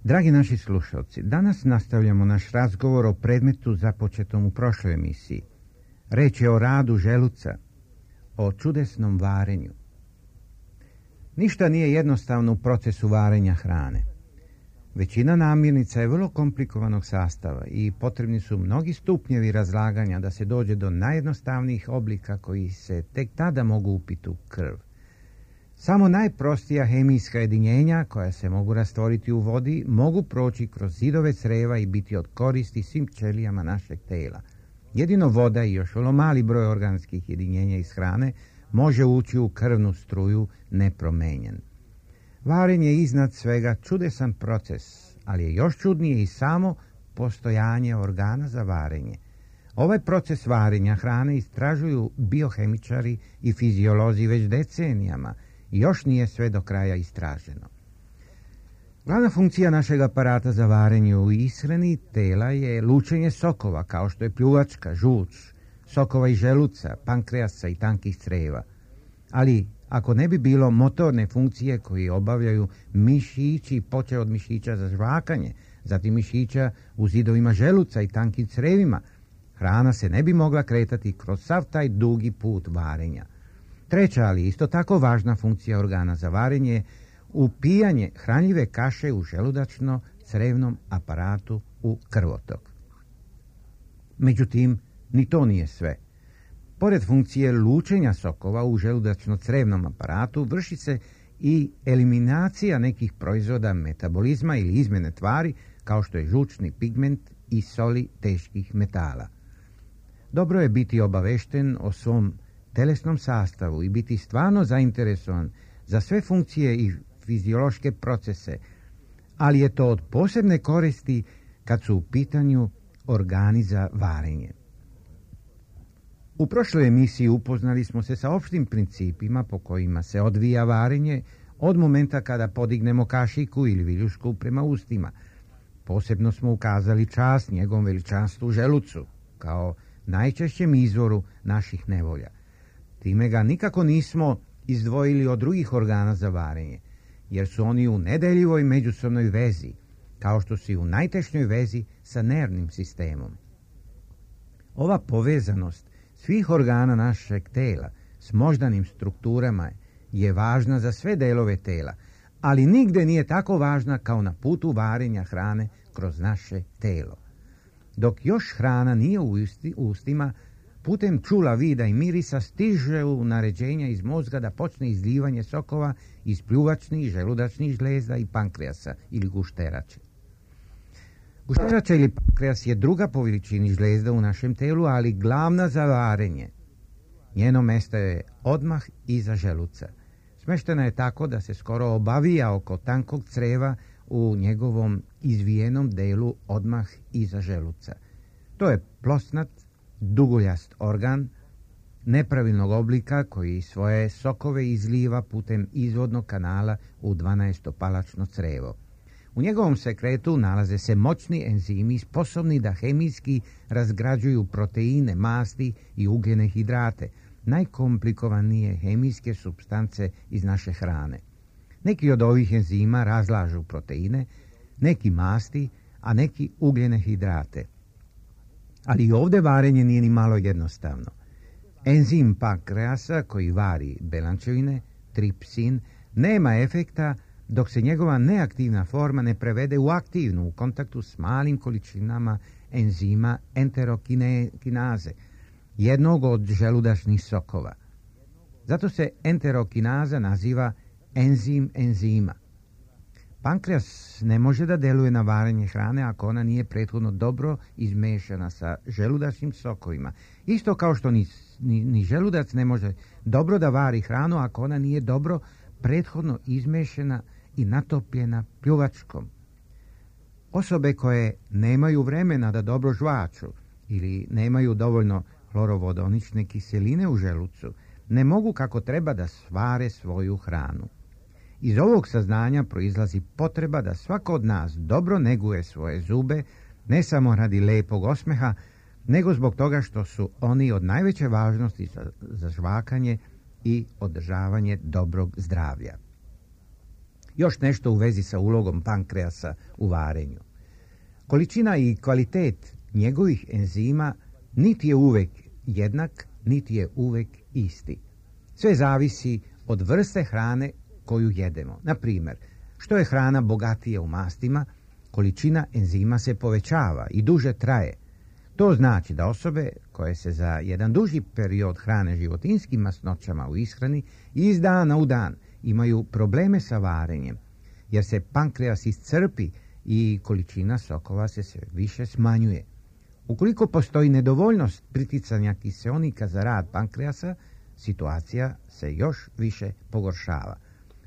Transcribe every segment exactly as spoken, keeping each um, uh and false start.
Dragi naši slušalci, danas nastavljamo naš razgovor o predmetu započetom u prošloj emisiji. Reč je o radu želuca, o čudesnom varenju. Ništa nije jednostavno u procesu varenja hrane. Većina namirnica je vrlo komplikovanog sastava i potrebni su mnogi stupnjevi razlaganja da se dođe do najjednostavnijih oblika koji se tek tada mogu upiti u krv. Samo najprostija hemijska jedinjenja koja se mogu rastvoriti u vodi mogu proći kroz zidove creva i biti od koristi svim ćelijama našeg tela. Jedino voda i još vrlo mali broj organskih jedinjenja iz hrane može ući u krvnu struju nepromenjen. Varenje je iznad svega čudesan proces, ali je još čudnije i samo postojanje organa za varenje. Ovaj proces varenja hrane istražuju biohemičari i fiziolozi već decenijama i još nije sve do kraja istraženo. Glavna funkcija našeg aparata za varenje u ishrani tela je lučenje sokova, kao što je pljuvačka, žuč, sokova iz želuca, pankreasa i tankih creva. Ali ako ne bi bilo motorne funkcije koje obavljaju mišići, počev od mišića za žvakanje, zatim mišića u zidovima želuca i tankim crevima, hrana se ne bi mogla kretati kroz sav taj dugi put varenja. Treća, ali isto tako važna funkcija organa za varenje je upijanje hranljive kaše u želudačno-crevnom aparatu u krvotok. Međutim, ni to nije sve. Pored funkcije lučenja sokova u želudačno-crevnom aparatu vrši se i eliminacija nekih proizvoda metabolizma ili izmjene tvari kao što je žučni pigment i soli teških metala. Dobro je biti obavešten o svom telesnom sastavu i biti stvarno zainteresovan za sve funkcije i fiziološke procese, ali je to od posebne koristi kad su u pitanju organi za varenje. U prošloj emisiji upoznali smo se sa opštim principima po kojima se odvija varenje od momenta kada podignemo kašiku ili viljušku prema ustima. Posebno smo ukazali čast njegovom veličanstvu želucu, kao najčešćem izvoru naših nevolja. Time ga nikako nismo izdvojili od drugih organa za varenje, jer su oni u nedeljivoj međusobnoj vezi, kao što su i u najtešnjoj vezi sa nervnim sistemom. Ova povezanost svih organa našeg tela s moždanim strukturama je važna za sve delove tela, ali nigde nije tako važna kao na putu varenja hrane kroz naše telo. Dok još hrana nije u ustima, putem čula, vida i mirisa stiže u naređenja iz mozga da počne izlijevanje sokova iz pljuvačnih, želudačnih žlezda i pankreasa ili gušterače. Gušterača ili pankreas je druga po veličini žlezda u našem telu, ali glavna za varenje. Njeno mesto je odmah iza želuca. Smeštena je tako da se skoro obavija oko tankog creva u njegovom izvijenom delu odmah iza želuca. To je plosnat, duguljast organ nepravilnog oblika koji svoje sokove izliva putem izvodnog kanala u dvanaestopalačno crevo. U njegovom sekretu nalaze se moćni enzimi sposobni da hemijski razgrađuju proteine, masti i ugljene hidrate, najkomplikovanije hemijske supstance iz naše hrane. Neki od ovih enzima razlažu proteine, neki masti, a neki ugljene hidrate. Ali i ovdje varenje nije ni malo jednostavno. Enzim pankreasa koji vari belančevine, tripsin, nema efekta dok se njegova neaktivna forma ne prevede u aktivnu u kontaktu s malim količinama enzima enterokinaze, jednog od želudačnih sokova. Zato se enterokinaza naziva enzim enzima. Pankreas ne može da deluje na varenje hrane ako ona nije prethodno dobro izmešana sa želudačnim sokovima, isto kao što ni ni, ni želudac ne može dobro da vari hranu ako ona nije dobro prethodno izmešena i natopljena pljuvačkom. Osobe koje nemaju vremena da dobro žvaču ili nemaju dovoljno hlorovodonične kiseline u želucu, ne mogu kako treba da svare svoju hranu. Iz ovog saznanja proizlazi potreba da svako od nas dobro neguje svoje zube, ne samo radi lepog osmeha, nego zbog toga što su oni od najveće važnosti za, za žvakanje i održavanje dobrog zdravlja. Još nešto u vezi sa ulogom pankreasa u varenju. Količina i kvalitet njegovih enzima niti je uvek jednak, niti je uvek isti. Sve zavisi od vrste hrane koju jedemo. Na primjer, što je hrana bogatija u mastima, količina enzima se povećava i duže traje. To znači da osobe koje se za jedan duži period hrane životinjskim masnoćama u ishrani iz dana u dan imaju probleme sa varenjem, jer se pankreas iscrpi i količina sokova se sve više smanjuje. Ukoliko postoji nedovoljnost priticanja kiseonika za rad pankreasa, situacija se još više pogoršava.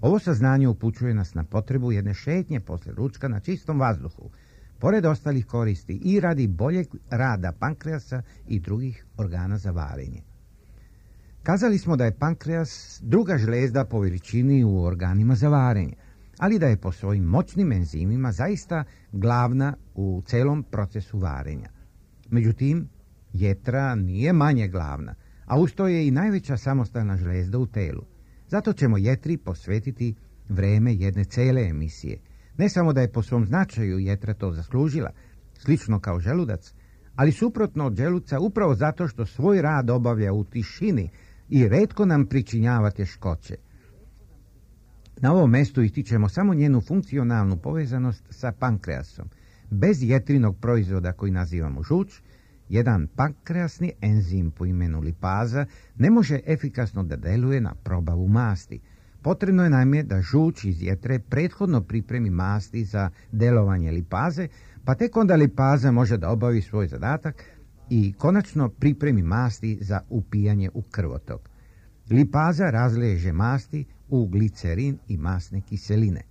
Ovo saznanje upućuje nas na potrebu jedne šetnje posle ručka na čistom vazduhu, pored ostalih koristi i radi boljeg rada pankreasa i drugih organa za varenje. Kazali smo da je pankreas druga žlezda po veličini u organima za varenje, ali da je po svojim moćnim enzimima zaista glavna u celom procesu varenja. Međutim, jetra nije manje glavna, a uz to je i najveća samostalna žlezda u telu. Zato ćemo jetri posvetiti vreme jedne cele emisije. Ne samo da je po svom značaju jetra to zaslužila, slično kao želudac, ali suprotno od želuca upravo zato što svoj rad obavlja u tišini i retko nam pričinjava teškoće. Na ovom mestu ističemo samo njenu funkcionalnu povezanost sa pankreasom. Bez jetrinog proizvoda koji nazivamo žuč, jedan pankreasni enzim po imenu lipaza ne može efikasno da deluje na probavu masti. Potrebno je naime da žuč iz jetre prethodno pripremi masti za delovanje lipaze, pa tek onda lipaza može da obavi svoj zadatak i konačno pripremi masti za upijanje u krvotok. Lipaza razleže masti u glicerin i masne kiseline.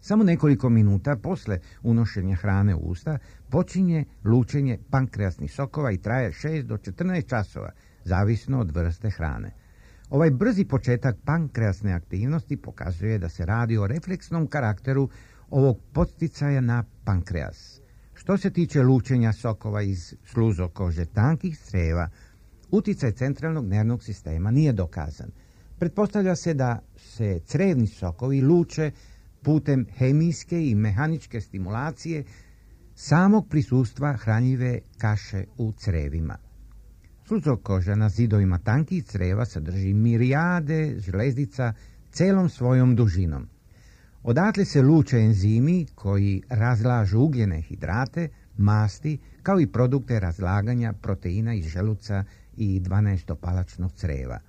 Samo nekoliko minuta posle unošenja hrane u usta počinje lučenje pankreasnih sokova i traje šest do četrnaest časova, zavisno od vrste hrane. Ovaj brzi početak pankreasne aktivnosti pokazuje da se radi o refleksnom karakteru ovog podsticaja na pankreas. Što se tiče lučenja sokova iz sluzokože tankih creva, uticaj centralnog nervnog sistema nije dokazan. Pretpostavlja se da se crevni sokovi luče putem hemijske i mehaničke stimulacije samog prisustva hranjive kaše u crevima. Sluzokoža na zidovima tankih creva sadrži mirijade žlezdica celom svojom dužinom. Odatle se luče enzimi koji razlažu ugljene hidrate, masti, kao i produkte razlaganja proteina iz želuca i dvanaestopalačnog creva.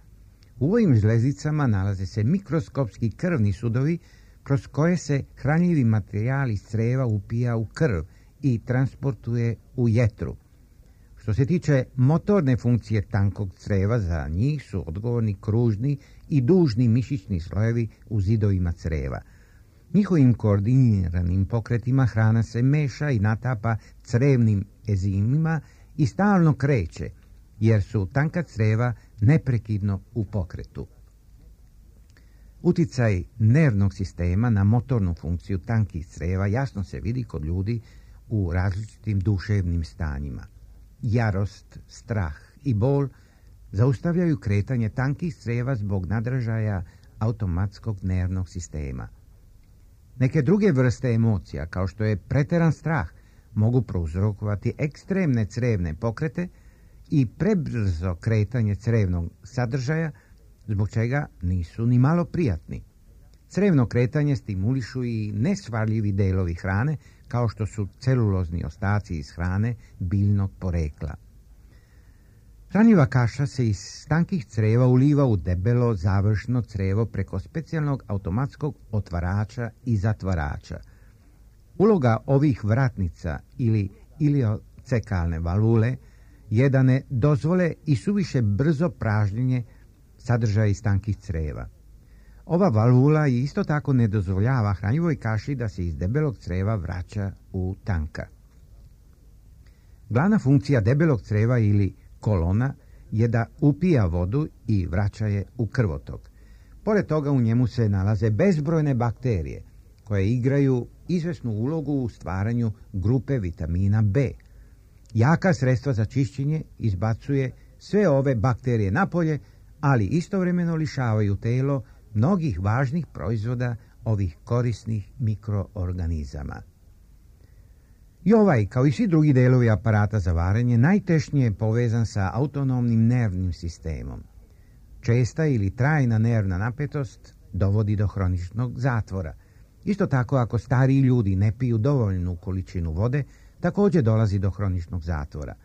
U ovim žlezdicama nalaze se mikroskopski krvni sudovi kroz koje se hranjivi materijal iz creva upija u krv i transportuje u jetru. Što se tiče motorne funkcije tankog creva, za njih su odgovorni kružni i dužni mišićni slojevi u zidovima creva. Njihovim koordiniranim pokretima hrana se meša i natapa crevnim enzimima i stalno kreće, jer su tanka creva neprekidno u pokretu. Uticaj nervnog sistema na motornu funkciju tankih creva jasno se vidi kod ljudi u različitim duševnim stanjima. Jarost, strah i bol zaustavljaju kretanje tankih creva zbog nadražaja automatskog nervnog sistema. Neke druge vrste emocija, kao što je preteran strah, mogu prouzrokovati ekstremne crevne pokrete i prebrzo kretanje crevnog sadržaja, zbog čega nisu ni malo prijatni. Crevno kretanje stimulišu i nesvarljivi delovi hrane, kao što su celulozni ostaci iz hrane biljnog porekla. Hranjiva kaša se iz tankih creva uliva u debelo završno crevo preko specijalnog automatskog otvarača i zatvarača. Uloga ovih vratnica ili iliocekalne valvule je da ne dozvole i suviše brzo pražnjenje sadržaja iz tankih creva. Ova valvula isto tako ne dozvoljava hranjivoj kaši da se iz debelog creva vraća u tanka. Glavna funkcija debelog creva ili kolona je da upija vodu i vraća je u krvotok. Pored toga u njemu se nalaze bezbrojne bakterije koje igraju izvesnu ulogu u stvaranju grupe vitamina B. Jaka sredstva za čišćenje izbacuje sve ove bakterije napolje, ali istovremeno lišavaju telo mnogih važnih proizvoda ovih korisnih mikroorganizama. I ovaj, kao i svi drugi delovi aparata za varenje, najtešnije je povezan sa autonomnim nervnim sistemom. Česta ili trajna nervna napetost dovodi do hroničnog zatvora. Isto tako, ako stariji ljudi ne piju dovoljnu količinu vode, također dolazi do hroničnog zatvora.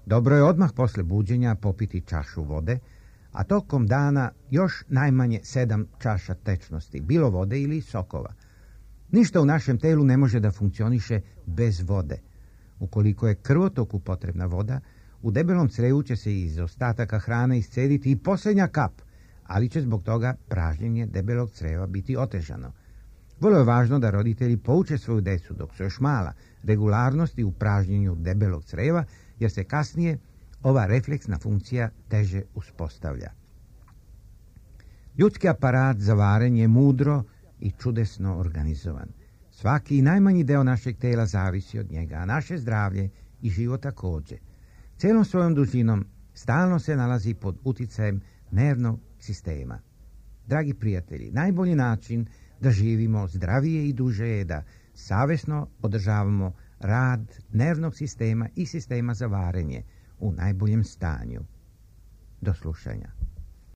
Dobro je odmah posle buđenja popiti čašu vode, a tokom dana još najmanje sedam čaša tečnosti, bilo vode ili sokova. Ništa u našem telu ne može da funkcioniše bez vode. Ukoliko je krvotoku potrebna voda, u debelom crevu će se iz ostataka hrane iscediti i posljednja kap, ali će zbog toga pražnjenje debelog creva biti otežano. Vrlo je važno da roditelji pouče svoju decu dok su još mala regularnosti u pražnjenju debelog creva, jer se kasnije ova refleksna funkcija teže uspostavlja. Ljudski aparat za varenje je mudro i čudesno organizovan. Svaki i najmanji deo našeg tela zavisi od njega, a naše zdravlje i život također. Celom svojom dužinom stalno se nalazi pod uticajem nervnog sistema. Dragi prijatelji, najbolji način da živimo zdravije i duže je da savjesno održavamo rad nervnog sistema i sistema za varenje u najboljem stanju. Do slušanja.